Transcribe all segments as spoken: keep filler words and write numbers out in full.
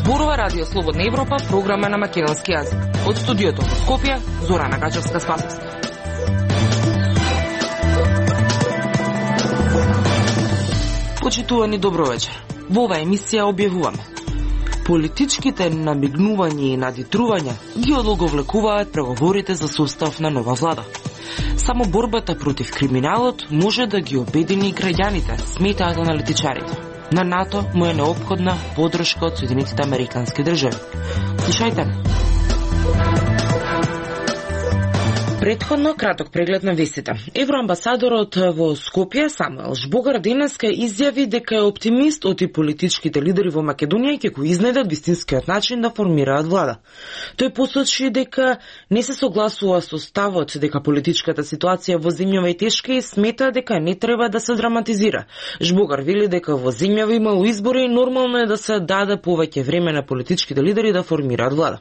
Зборува Радио Слободна Европа, програма на македонски јазик. Од студиото во Скопје, Зорана Гачевска-Спасовска. Почитувани, добро вечер. Во оваа емисија објавуваме: политичките намигнувања и надитрувања ги одолговлекуваат преговорите за состав на нова влада. Само борбата против криминалот може да ги обедини граѓаните, сметаат аналитичарите. На НАТО му е неопходна подршка од Соединетите Американски држави. Слушајте не. Претходно краток преглед на вестите. Евроамбасадорот во Скопје Самуел Жбогар денеска изјави дека е оптимист од и политичките лидери во Македонија ќе го изнајдат вистинскиот начин да формираат влада. Тој посочи дека не се согласува со ставот дека политичката ситуација во земјава е тешка и смета дека не треба да се драматизира. Жбогар вели дека во земјава имало избори и нормално е да се даде повеќе време на политичките лидери да формираат влада.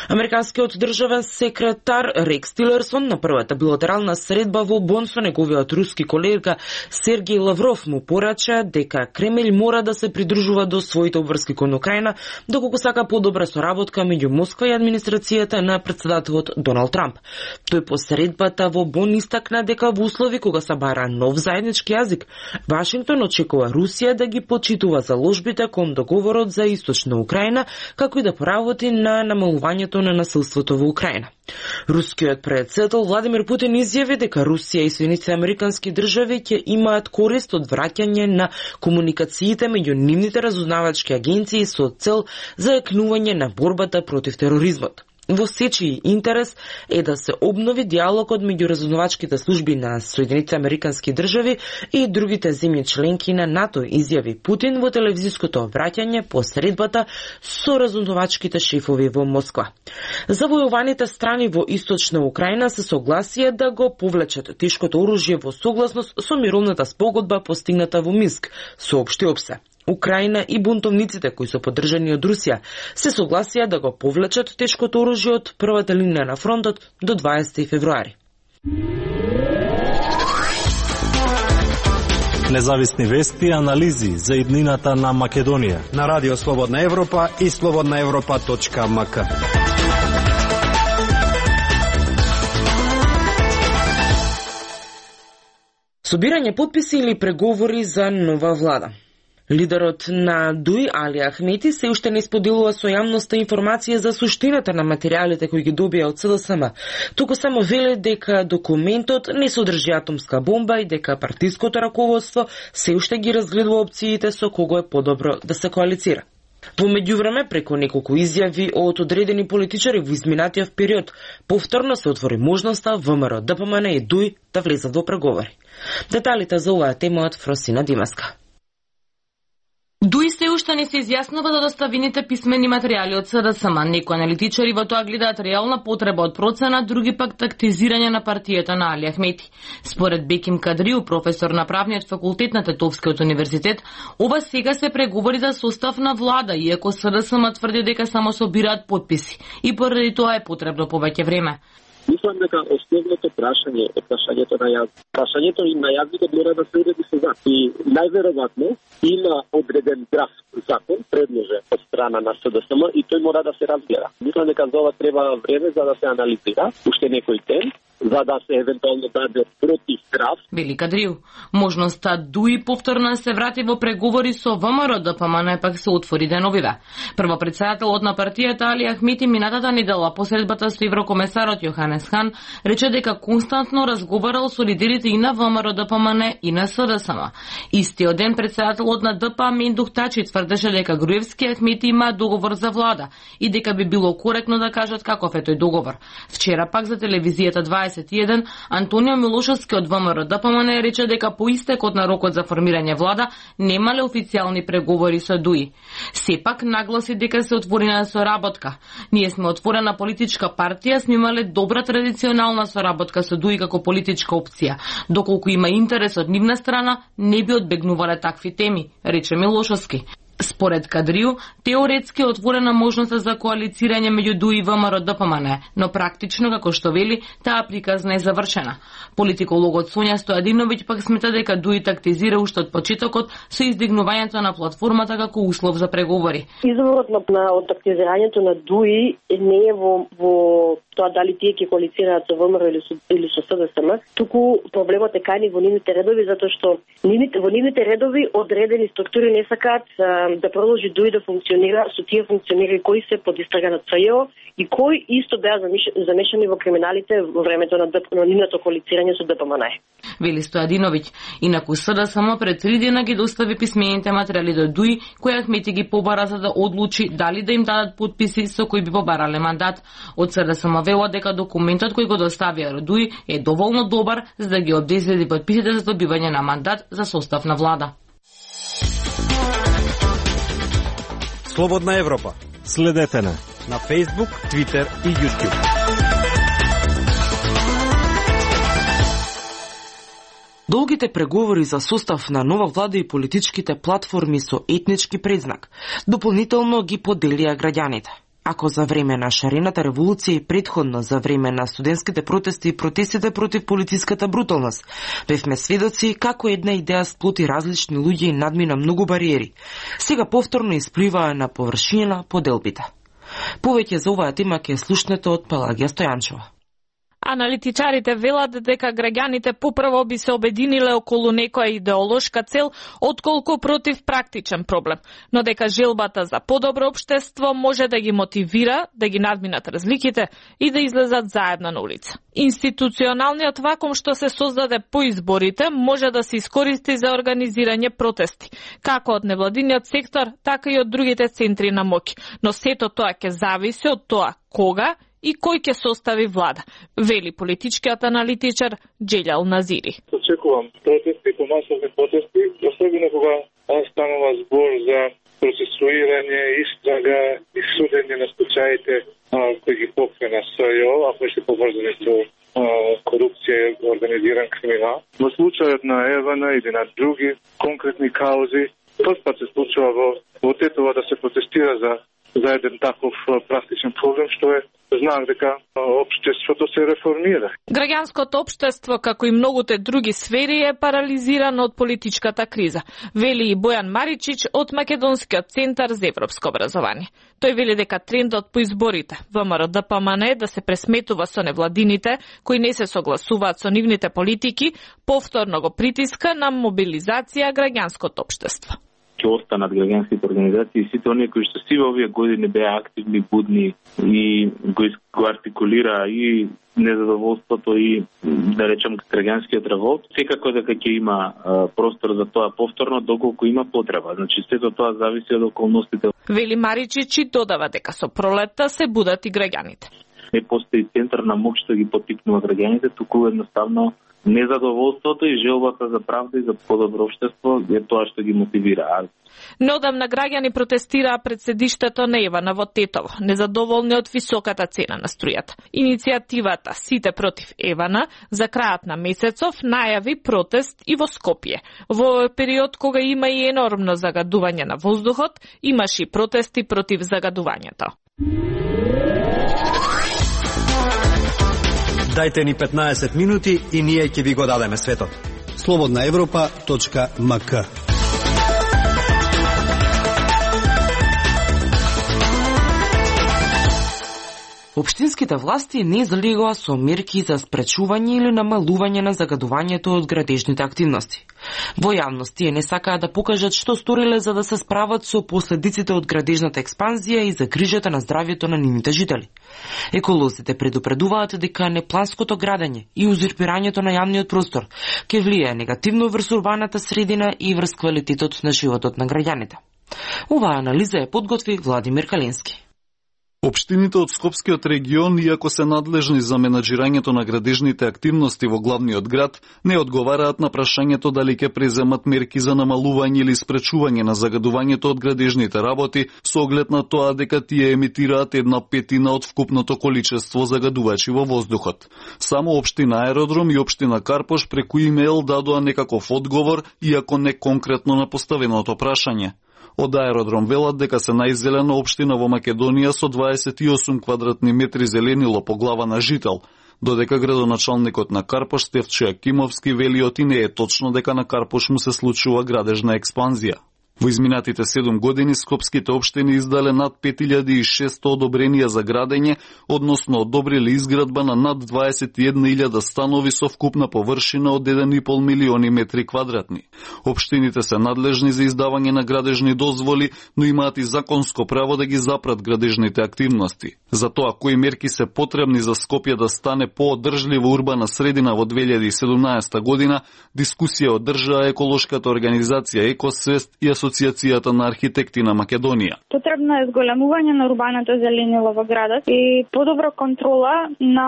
Американскиот државен секретар Рекс Тилерсон на првата билатерална средба во Бон со неговиот руски колега Сергеј Лавров му порача дека Кремљ мора да се придружува до своите обврски кон Украина, доколку сака подобра соработка меѓу Москва и администрацијата на претседателот Доналд Трамп. Тој по средбата во Бон истакна дека во услови кога се бара нов заеднички јазик, Вашингтон очекува Русија да ги почитува заложбите кон договорот за Источна Украина, како и да поработи на намалувањето на насилството во Украина. Рускиот претседател Владимир Путин изјави дека Русија и Соединетите Американски држави ќе имаат корист од враќање на комуникациите меѓу нивните разузнавачки агенции со цел за јакнување на борбата против тероризмот. Во сечи интерес е да се обнови диалогот меѓу разузнавачките служби на Соединетите Американски држави и другите земји членки на НАТО, изјави Путин во телевизиското обраќање по средбата со разузнавачките шефови во Москва. Завојуваните страни во Источна Украина се согласија да го повлечат тешкото оружје во согласност со мировната спогодба постигната во Минск, соопшти ОПСЕ. Украина и бунтовниците кои се поддржани од Русија се согласија да го повлечат тешкото оружје од првата линија на фронтот до дваесети февруари. Независни вести и анализи за иднината на Македонија на Радио Слободна Европа и слободна европа точка ем ка. Собирање потписи или преговори за нова влада. Лидерот на ДУИ Али Ахмети се уште не споделува со јавноста информација за суштината на материјалите кои ги добија од СДСМ. Туку само веле дека документот не содржи атомска бомба и дека партиското раководство се уште ги разгледува опциите со кого е подобро да се коалицира. Во меѓувреме, преку неколку изјави од одредени политичари во изминатиот период, повторно се отвори можноста ВМРО, ДПМН и ДУИ да влезат во преговори. Деталите за оваа тема од Фросина Димаска. ДУИ се уште не се изјаснува за доставените писмени материјали од СДСМ. Некои аналитичари во тоа гледаат реална потреба од процена, други пак тактизирање на партијата на Али Ахмети. Според Беким Кадриу, професор на правниот факултет на Тетовскиот универзитет, ова сега се преговори за состав на влада, иако СДСМ тврди дека само собираат потписи и поради тоа е потребно повеќе време. Мислам дека основното прашање е прашањето на јазик. Прашањето и на јазикот мора да се уреди со закон. И најверојатно има одреден драфт закон предложен од страна на СДСМ и тој мора да се разгледа. Мислам дека за ова треба време за да се анализира, уште некој ден, за да се евентуално даде против драфт. Вели Кадриу, можноста ДУИ повторно се врати во преговори со ВМРО, ДПМН пак се отвори деновиве. Прво претседателот на партијата Али Ахмети минатата недела по средбата со еврокомесарот Јоханес Хан рече дека константно разговарал со лидерите и на ВМРО, ДПМН и на СДСМ. Истиот ден претседателот на ДП Мендух Тачи тврдеше дека Груевски и Ахмети имаат договор за влада и дека би било коректно да кажат каков е тој договор. Вчера пак за телевизијата дваесет и еден Антонио Милошевски од ВМРО ДПМН рече дека по истекот на рокот за формирање влада немале официјални преговори со ДУИ. Сепак нагласи дека се отворена соработка. Ние сме отворена политичка партија, сме имале добра традиционална соработка со ДУИ како политичка опција. Доколку има интерес од нивна страна, не би одбегнувале такви теми, рече Милошевски. Според Кадрију, теоретски е отворена можноста за коалицирање меѓу ДУИ и ВМРО Д П М Н, но практично, како што вели, таа приказна е завршена. Политикологот Сонја Стојадиновиќ пак смета дека ДУИ тактизира уште од почетокот со издигнувањето на платформата како услов за преговори. Изворот на, на од тактизирањето на ДУИ не е во, во тоа дали тие ќе коалицираат со ВМРО или со, или со С Д С М, туку проблемот е кај во нивните редови, затоа што нивните, во нивните редови одредени структури не сакаат да продолжи ДУИ да функционира со тие функционери кои се под истрага на Ц Ј О и кои исто беа замешани во криминалите во времето на, на нивното коалицирање со Д П М Н. Вели Стојадиновиќ, инаку С Д С М пред три дена ги достави писмените материјали до ДУИ, кои Ахмети ги побара за да одлучи дали да им дадат подписи со кои би побарале мандат. Од С Д С М велат дека документот кој го доставија до ДУИ е доволно добар за да ги обезбеди подписите за добивање на мандат за состав на влада. Слободна Европа. Следете на на Facebook, Twitter и YouTube. Долгите преговори за состав на нова влада и политичките платформи со етнички предзнак дополнително ги поделија граѓаните. Ако за време на шарената револуција и предходно за време на студентските протести и протестите против полициската бруталност, бевме сведоци како една идеја сплоти различни луѓе и надмина многу бариери, сега повторно испливаа на површина поделбите. Повеќе за оваа тема ќе слушнете од Пелагија Стојанчева. Аналитичарите велат дека граѓаните попрво би се обединиле околу некоја идеолошка цел отколку против практичен проблем, но дека желбата за подобро општество може да ги мотивира да ги надминат разликите и да излезат заедно на улица. Институционалниот вакуум што се создаде по изборите може да се искористи за организирање протести, како од невладиниот сектор, така и од другите центри на моќ, но сето тоа ќе зависи од тоа кога и кој ќе состави влада, вели политичкиот аналитичар Джелјал Назири. Очекувам протести, помасовни протести, особено кога станува збор за процесуирање, истрага и судење на случаите кои ги покрена С Ј О, а кои се поврзани со корупција и организиран криминал. Во случајот на Евана или на други конкретни каузи, првпат се случува во, во Тетово да се протестира за за еден таков практичен проблем, што е знак дека општеството се реформира. Граѓанското општество, како и многуте други сфери, е парализирано од политичката криза, вели и Бојан Маричич од Македонскиот центар за европско образование. Тој вели дека трендот по изборите ВМРО Д П М Н да се пресметува со невладините, кои не се согласуваат со нивните политики, повторно го притиска на мобилизација граѓанското општество. Ќе останат граѓанските организации, сите оние кои што сиве овие години беа активни, будни и го, го артикулира и незадоволството и, да речем, граѓанскиот револт, секако дека ќе има а, простор за тоа повторно, доколку има потреба. Значи, сето тоа зависи од околностите. Вели Маричич и додава дека со пролетта се будат и граѓаните. Не постои центар на моќ што ги поттикнува граѓаните, туку едноставно незадоволството и желбата за правда и за подобро општество е тоа што ги мотивира. Неодамна граѓани протестираа пред седиштето на Евана во Тетово, незадоволни од високата цена на струјата. Иницијативата Сите против Евана за крајот на месецов најави протест и во Скопје. Во овој период кога има и енормно загадување на воздухот, имаше и протести против загадувањето. Дајте ни петнаесет минути и ние ќе ви го дадеме светот. слободна европа точка м к. Општинските власти не залегоа со мерки за спречување или намалување на загадувањето од градежните активности. Во јавност тие не сакаат да покажат што сториле за да се справат со последиците од градежната експанзија и за грижата на здравјето на нивните жители. Еколозите предупредуваат дека непланското градење и узурпирањето на јавниот простор ќе влијае негативно врз урбаната средина и врз квалитетот на животот на граѓаните. Оваа анализа е подготви Владимир Калински. Општините од Скопскиот регион, иако се надлежни за менаџирањето на градежните активности во главниот град, не одговараат на прашањето дали ќе преземат мерки за намалување или спречување на загадувањето од градежните работи, со оглед на тоа дека тие емитираат една петина од вкупното количество загадувачи во воздухот. Само општина Аеродром и општина Карпош преку имејл дадоа некаков одговор, иако не конкретно на поставеното прашање. Од аеродром велат дека се најзелена општина во Македонија со дваесет и осум квадратни метри зеленило по глава на жител, додека градоначалникот на Карпош Стефчо Јакимовски вели оти не е точно дека на Карпош му се случува градежна експанзија. Во изминатите седум години скопските општини издале над пет илјади и шестстотини одобренија за градење, односно одобрили изградба на над дваесет и една илјада станови со вкупна површина од еден и пол милиони метри квадратни. Општините се надлежни за издавање на градежни дозволи, но имаат и законско право да ги запрат градежните активности. За тоа кои мерки се потребни за Скопје да стане поодржлива урбана средина во две илјади и седумнаесета година, дискусија одржаа еколошката организација Екосвест и Асоциацијата на архитекти на Македонија. Потребно е зголемување на урбаното зеленило во градот и подобра контрола на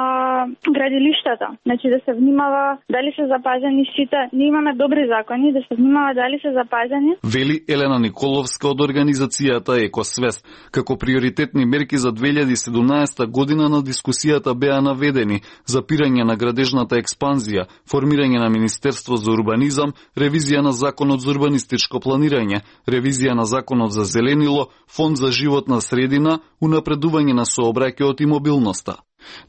градилиштата. Значи да се внимава дали се запазени сите. Ние имаме добри закони, да се внимава дали се запазени. Вели Елена Николовска од организацијата Екосвест. Како приоритетни мерки за две илјади и седумнаесета година на дискусијата беа наведени запирање на градежната експанзија, формирање на Министерство за урбанизам, ревизија на Законот за урбанистичко планирање, ревизија на Законот за зеленило, Фонд за животна средина, унапредување на сообраќајот и мобилноста.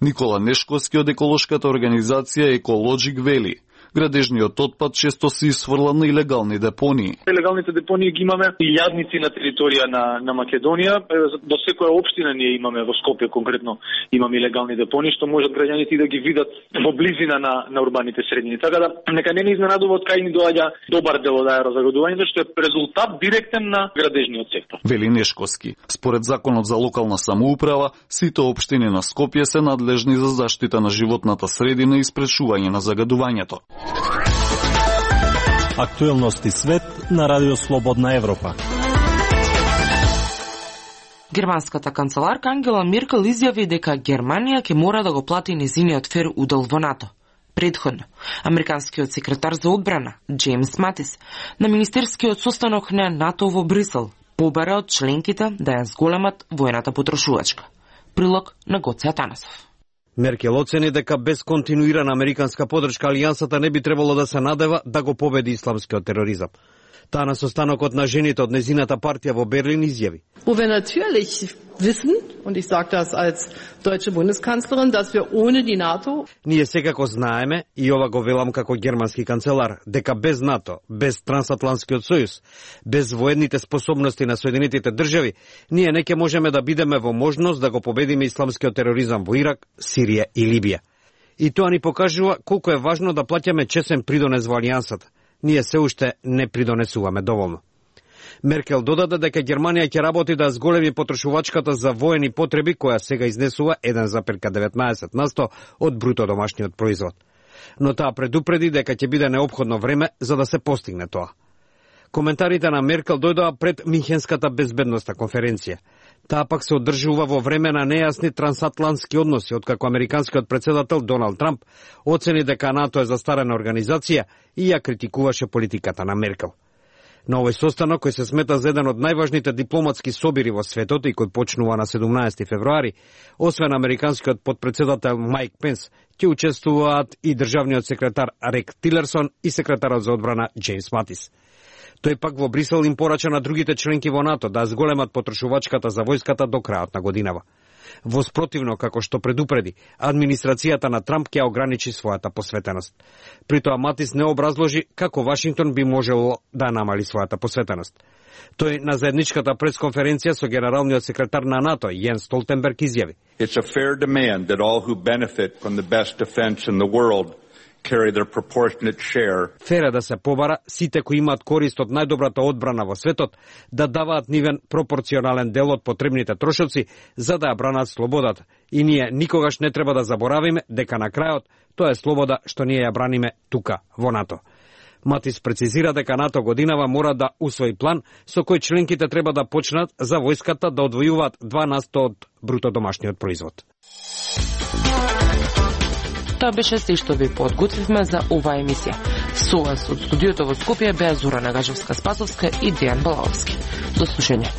Никола Нешковски од еколошката организација Екологик вели: градежниот отпад често се исфрла на илегални депонии. Илегалните депонии ги имаме илјадници на територија на, на Македонија. До секоја општина ние имаме, во Скопје конкретно имаме илегални депонии, што можат граѓаните да ги видат во близина на, на урбаните средини. Така да, нека не ни изненадува од кај ни доаѓа добар дел од аерозагадувањето, што е резултат директен на градежниот сектор. Вели Нешковски. Според Законот за локална самоуправа, сите општини на Скопје се надлежни за заштита на животната средина и спречување на загадувањето. Актуелности свет на Радио Слободна Европа. Германската канцеларка Ангела Меркел изјави дека Германија ќе мора да го плати незиниот фер удел во НАТО. Предходно, американскиот секретар за одбрана Джеймс Матис на министерскиот состанок на НАТО во Брисел побара од членките да ја зголемат воената потрошувачка. Прилог на Гоце Атанасов. Меркел оцени дека без континуирана американска поддршка алијансата не би требало да се надева да го победи исламскиот тероризам. Таа на состанокот на жените од незината партија во Берлин изјави: Wo wir natürlich wissen, und ich sage das als deutsche Bundeskanzlerin, dass wir ohne die NATO... Ние секако знаеме, и ова го велам како германски канцелар, дека без НАТО, без Трансатлантскиот сојуз, без военните способности на Соединетите држави, ние не ќе можеме да бидеме во можност да го победиме исламскиот тероризам во Ирак, Сирија и Либија. И тоа ни покажува колку е важно да плаќаме чесен придонес во алијансата. Ние се уште не придонесуваме доволно. Меркел додаде дека Германија ќе работи да зголеми потрошувачката за воени потреби, која сега изнесува еден зарез деветнаесет на сто од бруто домашниот производ. Но таа предупреди дека ќе биде неопходно време за да се постигне тоа. Коментарите на Меркел дојдоа пред Минхенската безбедносна конференција. Таа пак се одржува во време на нејасни трансатлантски односи, откако американскиот претседател Доналд Трамп оцени дека НАТО е застарена организација и ја критикуваше политиката на Меркел. На овој состанок, кој се смета за еден од најважните дипломатски собири во светот и кој почнува на седумнаесети февруари, освен американскиот подпредседател Майк Пенс, ќе учествуваат и државниот секретар Рек Тилерсон и секретарот за одбрана Джеймс Матис. Тој пак во Брисел им порача на другите членки во НАТО да зголемат потрошувачката за војската до крајот на годинава. Во спротивно, како што предупреди, администрацијата на Трамп ќе ограничи својата посветеност. При тоа Матис не образложи како Вашингтон би можело да намали својата посветеност. Тој на заедничката пресконференција со генералниот секретар на НАТО Јенс Столтенберг изјави: It's a fair demand that all who benefit from the best defense in the world carry their proportionate share. Фер е да се побара сите кои имаат корист од најдобрата одбрана во светот да даваат нивен пропорционален дел од потребните трошоци за да ја бранат слободата. И ние никогаш не треба да заборавиме дека на крајот тоа е слобода што ние ја браниме тука во НАТО. Матис прецизира дека НАТО годинава мора да усвои план со кој членките треба да почнат за војската да одвојуваат два на сто од бруто домашниот производ. Тоа беше се што ви подготвивме за оваа емисија. Со вас од студиото во Скопје беа Зора Нагажевска-Спасовска и Дејан Балаовски. До слушање.